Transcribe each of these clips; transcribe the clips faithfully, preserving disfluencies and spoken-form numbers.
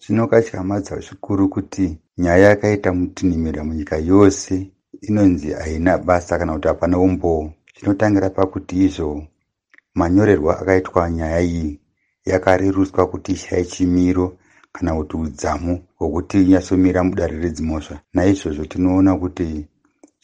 Zvinokatyamadza zvikuru kuti nyaya yakaita mutinhimira munyika yose inonzi haina basa kana kuti hapana umbowo. Zvinotangira pakuti izvo manyorerwo akaitwa nyaya iyi yakarerutswa kuti ishaye chimiro kana kuti udzamu hwekuti inyatsomira mudare redzimhosva. Naizvozvo tinoona kuti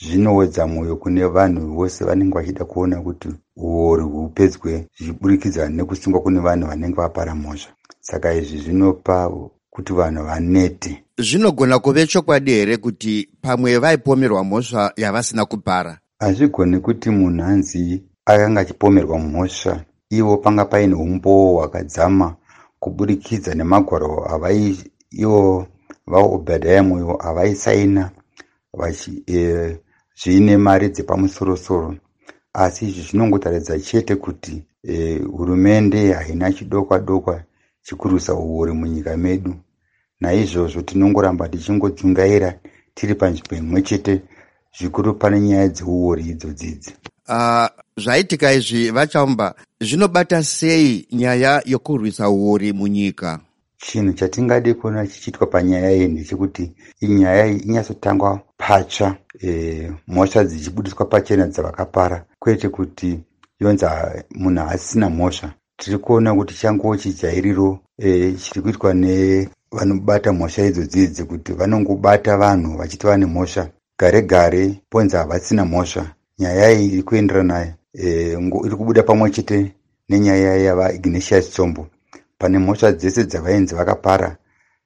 zvinowedza mwoyo kune vanhu vose vanenge vachida kuona kuti uori hupedzwe zvichiburikidza nekusungwa kune vanhu vanenge vapara mhosva. Saka izvi zvinopa kuti vanhu vanete. Zvinogona kuve chokwadi here kuti pamwe vaipomerwa mhosva yavasina kupara? Hazvigoni kuti munhu anzi akanga achipomerwa mhosva ivo panga paine umbowo hwakadzama kuburikidza nemagwaro avai ivo vaObadiah Moyo avaisaina e, zviine mari dzepamusorosoro. Asi izvi zvinongotaridza chete kuti e, hurumende haina chidokwa dokwa chekurwisa uori munyika medu. Naizvozvo tinongoramba tichingodzungaira tiri panzvimbo imwe chete, zvikuru pane nyaya dzeuori idzodzidzi. Uh, zvaitika izvi, VaChaumba, zvinobata sei nyaya yokurwisa uori munyika? Chinhu chatingade kuona chichiitwa panyaya iyi ndechekuti inyaya iyi inyatsotangwa patsva, e, mhosva dzichibudiswa pachena dzavakapara, kwete kuti yonzi munhu haasisina mhosva. Tiri kuona kuti changuwo chijairiro e, chiri kuitwa nevanobata mhosva idzodzidzi, kuti vanongobata vanhu vachiti vane mhosva, gare gare ponzi havasina mhosva. Nyaya iyi iri kuenderana, e, iri kubuda pamwe chete nenyaya yavaIgnatius Chombo. Pane mhosva dzese dzavainzi vakapara,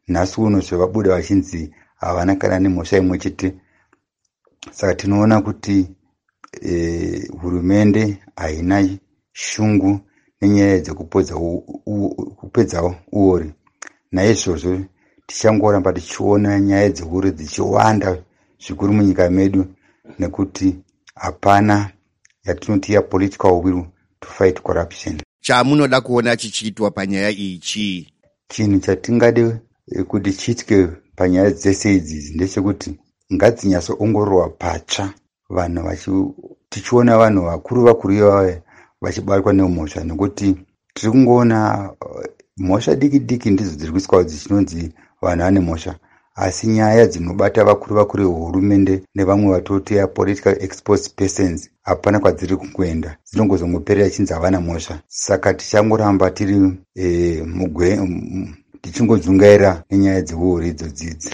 nhasi uno zvevabuda vachinzi havana kana nemhosva imwe chete. Saka tinoona kuti e, hurumende haina shungu nenyaya dzekupedza uori. Naizvozvo tichangoramba tichiona nyaya dzeuori dzichiwanda zvikuru munyika medu, nekuti hapana yatinoti yapolitical will to fight corruption. Chamunoda kuona chichiitwa panyaya iyi chii? Chinhu chatingade kuti chiitike panyaya dzese idzi ndechekuti ngadzinyatsoongororwa patsva, vanhu tichiona vanhu vakuru vakuru ivava vachibatwa nemhosva, nekuti tiri kungoona mhosva diki diki ndidzo dziri kuiswa dzichinonzi vanhu vane mhosva, asi nyaya dzinobata vakuru vakuru vehurumende nevamwe vatoti political exposed persons hapana kwadziri kuenda, dzinongozongoperera chinzi havana mhosva. Saka tichangoramba tiri e, tichingodzungaira nenyaya dzeuori idzodzidzi.